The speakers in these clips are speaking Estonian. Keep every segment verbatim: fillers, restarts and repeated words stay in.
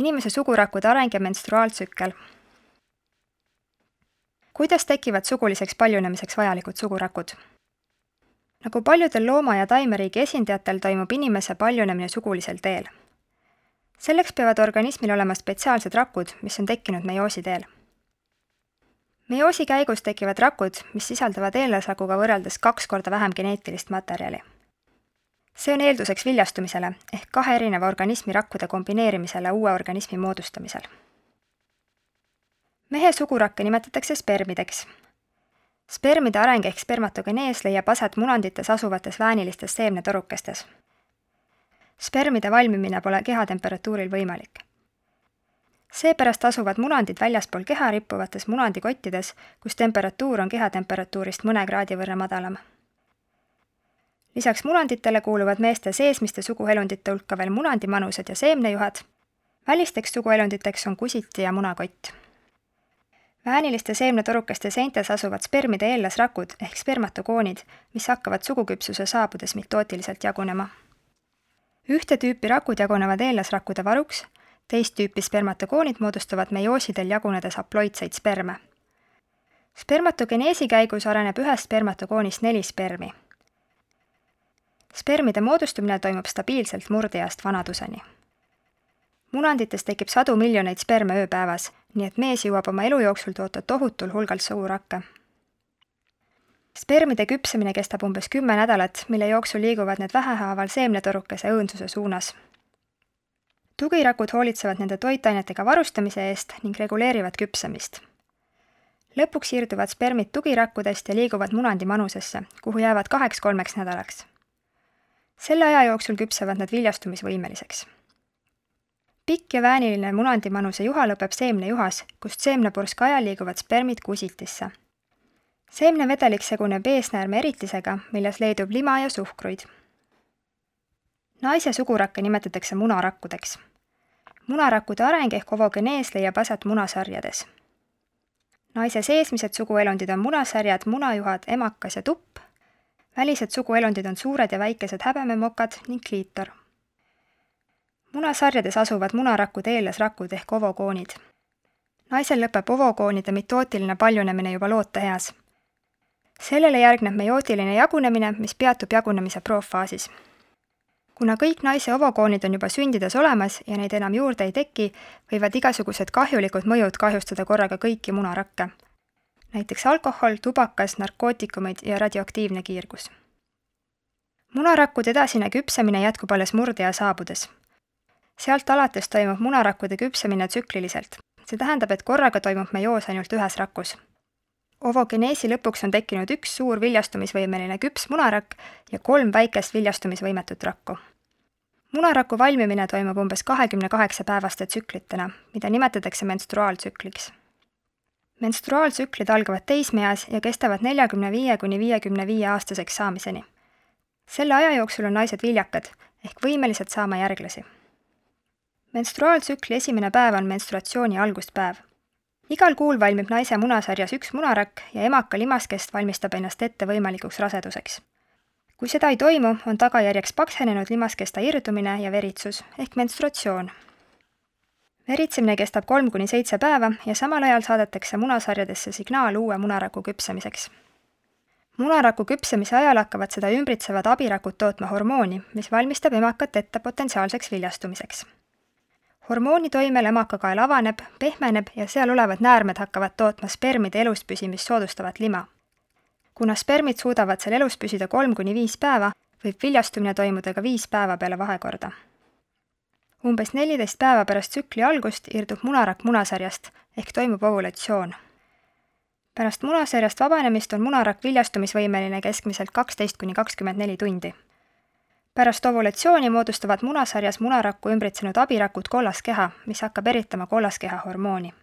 Inimese sugurakkude areng ja menstruaaltsükkel. Kuidas tekivad suguliseks paljunemiseks vajalikud sugurakud? Nagu paljudel looma- ja taimeriigi esindajatel toimub inimese paljunemine sugulisel teel. Selleks peavad organismil olema spetsiaalsed rakud, mis on tekkinud meioosi teel. Meioosi käigus tekivad rakud, mis sisaldavad eellasrakuga võrreldes kaks korda vähem geneetilist materjali. See on eelduseks viljastumisele ehk kahe erineva organismi rakkude kombineerimisele uue organismi moodustamisel. Mehe sugurakke nimetatakse spermideks. Spermide areng ehk spermatogenees leiab aset munandites asuvates väänilistes seemnetorukestes. Spermide valmimine pole kehatemperatuuril võimalik. Seepärast asuvad munandid väljaspool keha rippuvates munandikottides, kus temperatuur on kehatemperatuurist mõne kraadi võrra madalam. Lisaks munanditele kuuluvad meeste seesmiste suguelundite hulka veel munandimanused ja seemnejuhad. Välisteks suguelunditeks on kusiti ja munakott. Vääniliste seemnetorukeste seintes asuvad spermide eellasrakud ehk spermatogoonid, mis hakkavad suguküpsuse saabudes mitootiliselt jagunema. Ühte tüüpi rakud jagunevad eellasrakkude varuks, teist tüüpi spermatogoonid moodustavad meioosidel jagunedes haploidseid sperme. Spermatogeneesi käigus areneb ühest spermatogoonist neli spermi. Spermide moodustumine toimub stabiilselt murdeeast vanaduseni. Munandites tekib sadu miljoneid sperme ööpäevas, nii et mees jõuab oma elu jooksul toota tohutul hulgal sugurakke. Spermide küpsemine kestab umbes kümme nädalat, mille jooksul liiguvad need vähehaaval seemnetorukese õõnsuse suunas. Tugirakud hoolitsevad nende toitainetega varustamise eest ning reguleerivad küpsemist. Lõpuks siirduvad spermid tugirakkudest ja liiguvad munandimanusesse, kuhu jäävad kaheks-kolmeks nädalaks. Selle aja jooksul küpsevad nad viljastumisvõimeliseks. Pikk ja vääniline munandimanuse juha lõpeb seemnejuhas, kust seemnepurska ajal liiguvad spermid kusitisse. Seemnevedelik seguneb eesnäärme eritisega, milles leidub lima ja suhkruid. Naise sugurakke nimetatakse munarakkudeks. Munarakkude areng ehk ovogenees leiab aset munasarjades. Naise seesmised suguelundid on munasarjad, munajuhad, emakas ja tupp. Välised suguelundid on suured ja väikesed häbememokad ning kliitor. Munasarjades asuvad munarakkude eellasrakud ehk ovogoonid. Naisel lõpeb ovogoonide mitootiline paljunemine juba looteeas. Sellele järgneb meiootiline jagunemine, mis peatub jagunemise proofaasis. Kuna kõik naise ovogoonid on juba sündides olemas ja neid enam juurde ei teki, võivad igasugused kahjulikud mõjud kahjustada korraga kõiki munarakke. Näiteks alkohol, tubakas, narkootikumid ja radioaktiivne kiirgus. Munarakkude edasine küpsemine jätkub alles murdea saabudes. Sealt alates toimub munarakkude küpsemine tsükliliselt. See tähendab, et korraga toimub meioos ainult ühes rakus. Ovogeneesi lõpuks on tekkinud üks suur viljastumisvõimeline küps munarakk ja kolm väikest viljastumisvõimetut rakku. Munaraku valmimine toimub umbes kahekümne kaheksa päevaste tsüklitena, mida nimetatakse menstruaaltsükliks. Menstruaaltsüklid algavad teismeeas ja kestavad neljakümne viie kuni viiekümne viie aastaseks saamiseni. Selle aja jooksul on naised viljakad ehk võimelised saama järglasi. Menstruaaltsükli esimene päev on menstruatsiooni alguspäev. Igal kuul valmib naise munasarjas üks munarakk ja emaka limaskest valmistab ennast ette võimalikuks raseduseks. Kui seda ei toimu, on tagajärjeks paksenenud limaskesta irdumine ja veritsus ehk menstruatsioon. Veritsemine kestab kolm kuni seitse päeva ja samal ajal saadetakse munasarjadesse signaal uue munaraku küpsemiseks. Munaraku küpsemise ajal hakkavad seda ümbritsevad abirakud tootma hormooni, mis valmistab emakat ette potentsiaalseks viljastumiseks. Hormooni toimel emakakael avaneb, pehmeneb ja seal olevad näärmed hakkavad tootma spermide elus püsimist soodustavat lima. Kuna spermid suudavad seal elus püsida kolm kuni viis päeva, võib viljastumine toimuda ka viis päeva peale vahekorda. Umbes neliteist päeva pärast tsükli algust irdub munarakk munasarjast ehk toimub ovulatsioon. Pärast munasarjast vabanemist on munarakk viljastumisvõimeline keskmiselt kaksteist kuni kakskümmend neli tundi. Pärast ovulatsiooni moodustavad munasarjas munarakku ümbritsenud abirakud kollaskeha, mis hakkab eritama kollaskeha hormooni.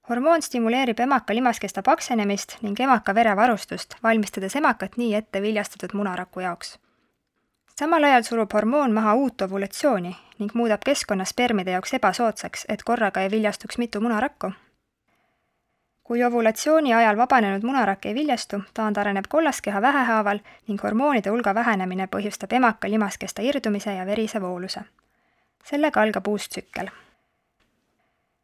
Hormoon stimuleerib emaka limaskesta paksenemist ning emaka verevarustust, valmistades emakat nii ette viljastatud munaraku jaoks. Samal ajal surub hormoon maha uut ovulatsiooni ning muudab keskkonna spermide jaoks ebasoodsaks, et korraga ei viljastuks mitu munarakku. Kui ovulatsiooni ajal vabanenud munarakk ei viljastu, taandareneb kollaskeha vähehaaval ning hormoonide hulga vähenemine põhjustab emaka limaskesta irdumise ja verise vooluse. Sellega algab uus tsükkel.